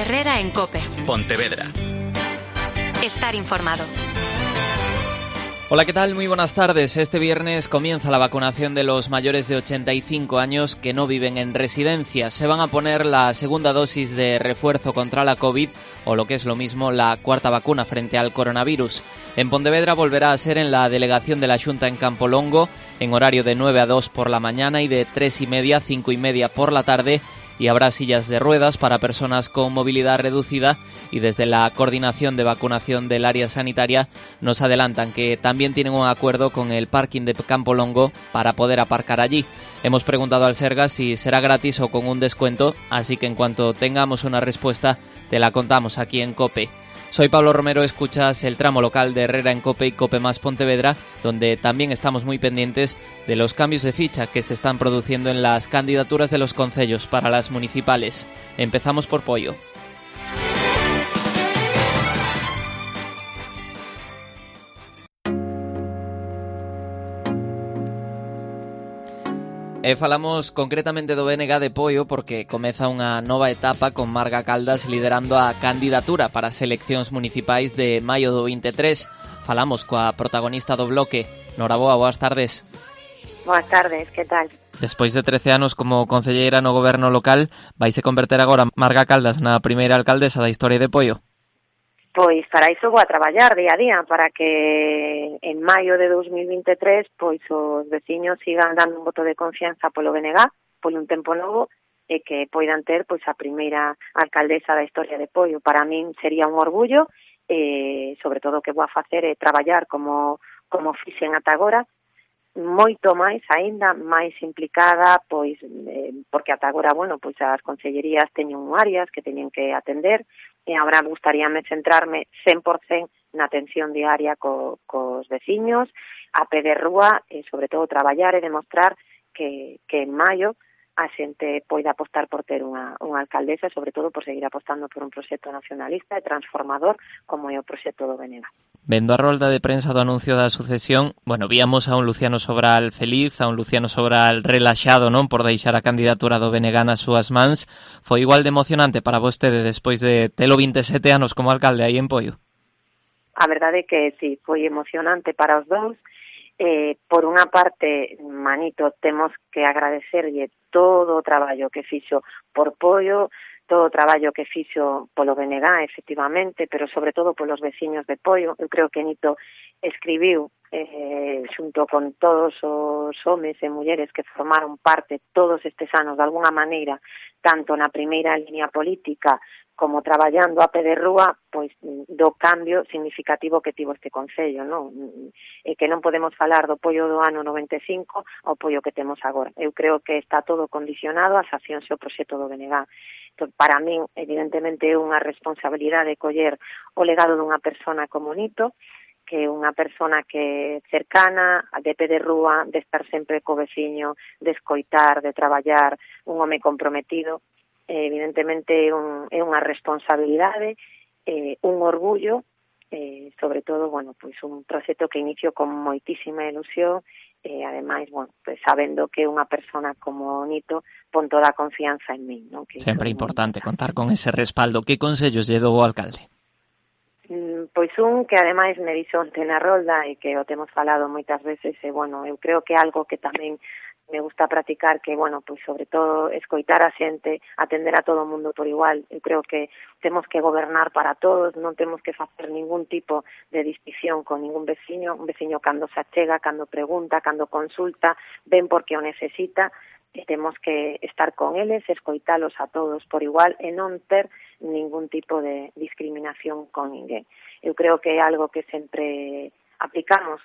Herrera en COPE. Pontevedra. Estar informado. Hola, ¿qué tal? Muy buenas tardes. Este viernes comienza la vacunación de los mayores de 85 años que no viven en residencias. Se van a poner la segunda dosis de refuerzo contra la COVID, o lo que es lo mismo, la cuarta vacuna frente al coronavirus. En Pontevedra volverá a ser en la delegación de la Xunta en Campolongo, en horario de 9 a 2 por la mañana y de 3:30 a 5:30 por la tarde, y habrá sillas de ruedas para personas con movilidad reducida, y desde la Coordinación de Vacunación del Área Sanitaria nos adelantan que también tienen un acuerdo con el parking de Campolongo para poder aparcar allí. Hemos preguntado al Sergas si será gratis o con un descuento, así que en cuanto tengamos una respuesta te la contamos aquí en COPE. Soy Pablo Romero, escuchas el tramo local de Herrera en COPE y COPE más Pontevedra, donde también estamos muy pendientes de los cambios de ficha que se están produciendo en las candidaturas de los concellos para las municipales. Empezamos por Poio. Falamos concretamente do BNG de Poio porque comeza unha nova etapa con Marga Caldas liderando a candidatura para as eleccións municipais de maio do 23. Falamos coa protagonista do bloque. Noraboa, boas tardes. Boas tardes, que tal? Despois de 13 anos como concelleira no goberno local, vaise converter agora Marga Caldas na primeira alcaldesa da historia de Poio? Pois para iso vou a traballar día a día, para que en maio de 2023 pois os veciños sigan dando un voto de confianza polo BNG, polo un tempo novo, e que poidan ter pois a primeira alcaldesa da historia de Poio. Para min sería un orgullo, sobre todo o que vou a facer é traballar como fixen ata agora, moito máis aínda, máis implicada, pois porque ata agora, pois as concellerías teñen áreas que teñen que atender, e agora gustaríame centrarme 100% na atención diaria cos veciños, a pé de rúa, e sobre todo traballar e demostrar que en maio a xente poida apostar por ter unha alcaldesa, e sobre todo por seguir apostando por un proxecto nacionalista e transformador como é o proxecto do BNG. Vendo a rolda de prensa do anuncio da sucesión, víamos a un Luciano Sobral feliz, a un Luciano Sobral relaxado, non, por deixar a candidatura do BNG nas súas mans. Foi igual de emocionante para vostede despois de telo 27 anos como alcalde aí en Poio? A verdade é que sí, foi emocionante para os dous. Por unha parte, Manito, temos que agradecerlle todo o traballo que fixo por Poio, todo o traballo que fixo polo BNG, efectivamente, pero sobre todo polos veciños de Poio. Eu creo que Nito escribiu, xunto con todos os homes e mulleres que formaron parte todos estes anos, de alguna maneira, tanto na primeira línea política como traballando a pé de rúa, pois do cambio significativo que tivo este concello, non? E que non podemos falar do Poio do ano 95 ao Poio que temos agora. Eu creo que está todo condicionado ás accións e o proxecto do BNG. Entón, para min, evidentemente, é unha responsabilidade coller o legado dunha persona como Nito, que é unha persona que é cercana, de pé de rúa, de estar sempre co veciño, de escoitar, de traballar, un home comprometido. Evidentemente é unha responsabilidade, un orgullo, sobre todo, pois un proxecto que inicio con moitísima ilusión, e ademais, pois sabendo que unha persona como Nito pon toda a confianza en min, non? Que sempre é importante contar con ese respaldo. Que consellos lle dou ao alcalde? Pois un que ademais me dixo onte na rolda e que o temos falado moitas veces, e eu creo que algo que tamén me gusta practicar, que, pois sobre todo escoitar a xente, atender a todo o mundo por igual. Eu creo que temos que gobernar para todos, non temos que facer ningún tipo de distinción con ningún veciño. Un veciño cando se achega, cando pregunta, cando consulta, ven porque o necesita, e temos que estar con eles, escoitalos a todos por igual e non ter ningún tipo de discriminación con ninguén. Eu creo que é algo que sempre aplicamos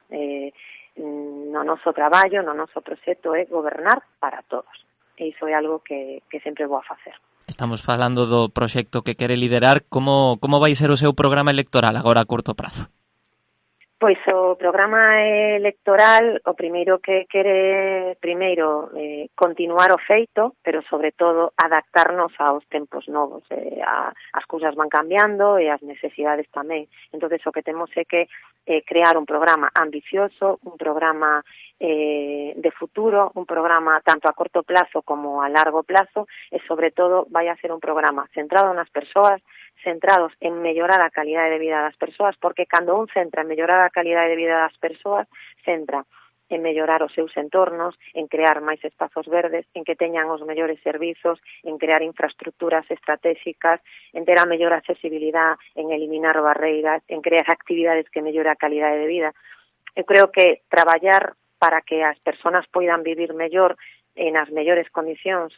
no noso traballo, no noso proxecto, é gobernar para todos. E iso é algo que sempre vou a facer. Estamos falando do proxecto que quere liderar. Como vai ser o seu programa electoral agora a curto prazo? Pois o programa electoral, o primeiro que quere continuar o feito, pero sobre todo adaptarnos aos tempos novos. As cousas van cambiando e as necesidades tamén. Entonces o que temos é que crear un programa ambicioso, un programa de futuro, un programa tanto a corto plazo como a largo plazo, e sobre todo vai a ser un programa centrado nas persoas, centrados en mellorar a calidade de vida das persoas, porque cando un centra en mellorar a calidade de vida das persoas, centra en mellorar os seus entornos, en crear máis espazos verdes, en que teñan os mellores servizos, en crear infraestructuras estratégicas, en ter a mellor accesibilidade, en eliminar barreiras, en crear actividades que mellore a calidade de vida. Eu creo que traballar para que as persoas poidan vivir mellor en as mellores condicións,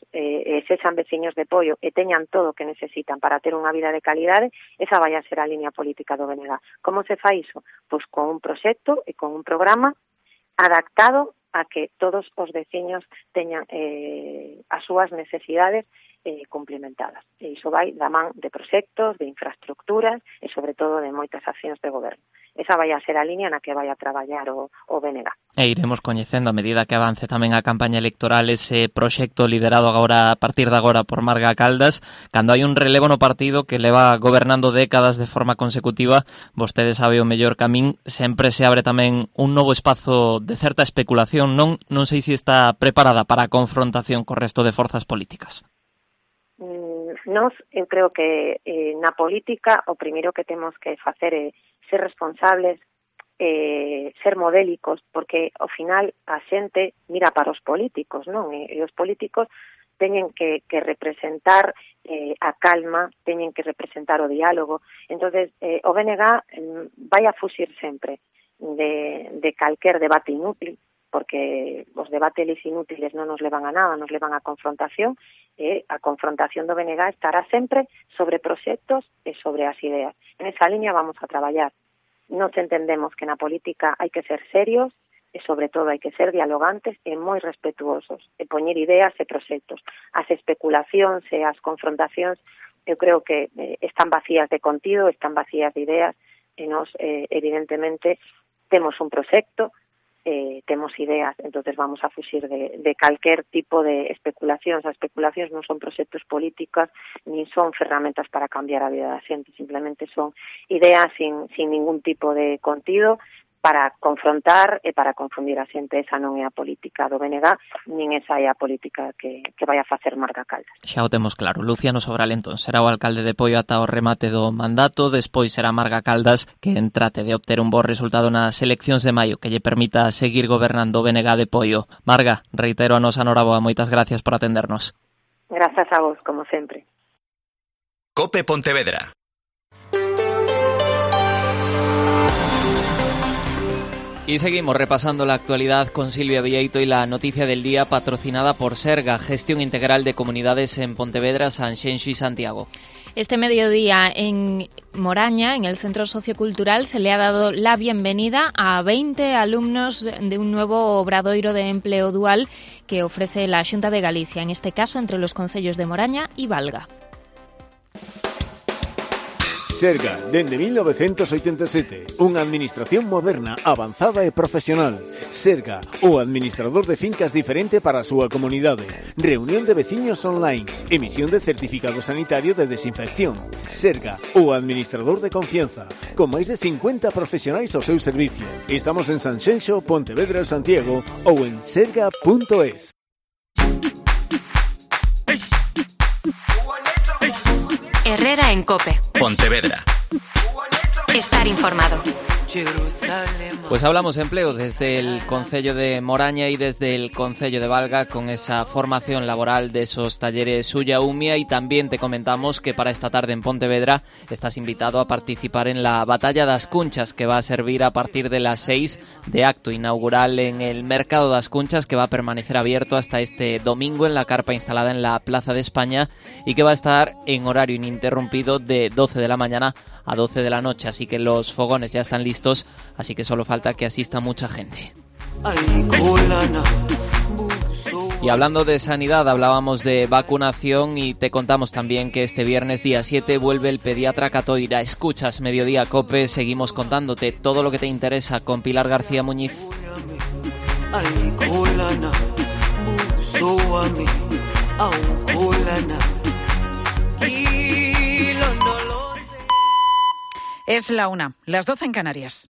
sexan veciños de Poio e teñan todo o que necesitan para ter unha vida de calidade, esa vai a ser a línea política do BNG. Como se fai iso? Pois con un proxecto e con un programa adaptado a que todos os veciños teñan as súas necesidades complementadas. E iso vai da man de proxectos, de infraestructuras e, sobre todo, de moitas accións de goberno. Esa vai a ser a línea na que vai a traballar o BNG. E iremos coñecendo a medida que avance tamén a campaña electoral ese proxecto liderado agora a partir de agora por Marga Caldas. Cando hai un relevo no partido que leva gobernando décadas de forma consecutiva, vostede sabe o mellor camín, sempre se abre tamén un novo espazo de certa especulación. Non sei se está preparada para a confrontación co resto de forzas políticas. Eu creo que na política o primeiro que temos que facer é ser responsables, ser modélicos, porque ao final a xente mira para os políticos, non? E os políticos teñen que representar a calma, teñen que representar o diálogo. Entonces, o BNG vai a fuxir sempre de calquer debate inútil, porque os debates inútiles non nos levan a nada, nos levan a confrontación, e a confrontación do BNG estará sempre sobre proxectos e sobre as ideas. En esa línea vamos a traballar. Nos entendemos que na política hai que ser serios e, sobre todo, hai que ser dialogantes e moi respetuosos, e poñer ideas e proxectos. As especulacións e as confrontacións, eu creo que están vacías de contido, están vacías de ideas, e nos, evidentemente, temos un proxecto, temos ideas, entonces vamos a fuxir de calquer tipo de especulacións. As especulacións non son proxectos políticos, nin son ferramentas para cambiar a vida da xente, simplemente son ideas sin ningún tipo de contido para confrontar e para confundir a xente. Esa non é a política do BNG, nin esa é a política que vai a facer Marga Caldas. Xa o temos claro. Luciano Sobral, entón, será o alcalde de Poio ata o remate do mandato, despois será Marga Caldas quen trate de obter un bo resultado nas eleccións de maio que lle permita seguir gobernando o BNG de Poio. Marga, reitero a nosa noraboa, moitas gracias por atendernos. Grazas a vos, como sempre. COPE Pontevedra. Y seguimos repasando la actualidad con Silvia Vieito y la noticia del día patrocinada por Serga, Gestión Integral de Comunidades en Pontevedra, Sanxenxo y Santiago. Este mediodía en Moraña, en el Centro Sociocultural, se le ha dado la bienvenida a 20 alumnos de un nuevo obradoiro de empleo dual que ofrece la Xunta de Galicia, en este caso entre los concellos de Moraña y Valga. Serga, dende 1987, unha administración moderna, avanzada e profesional. Serga, o administrador de fincas diferente para a súa comunidade. Reunión de veciños online. Emisión de certificado sanitario de desinfección. Serga, o administrador de confianza. Con máis de 50 profesionais ao seu servicio. Estamos en Sanxenxo, Pontevedra, Santiago ou en serga.es. Herrera en COPE. Pontevedra. Estar informado. Pues hablamos empleo desde el Concello de Moraña y desde el Concello de Valga con esa formación laboral de esos talleres Ulla Umia, y también te comentamos que para esta tarde en Pontevedra estás invitado a participar en la Batalla das Cunchas, que va a servir a partir de las 6 de acto inaugural en el Mercado das Cunchas, que va a permanecer abierto hasta este domingo en la carpa instalada en la Plaza de España y que va a estar en horario ininterrumpido de 12 de la mañana a 12 de la noche, así que los fogones ya están listos, así que solo falta que asista mucha gente. Y hablando de sanidad, hablábamos de vacunación y te contamos también que este viernes día 7 vuelve el pediatra Catoira. Escuchas Mediodía COPE, seguimos contándote todo lo que te interesa con Pilar García Muñiz. Es la 1, las 12 en Canarias.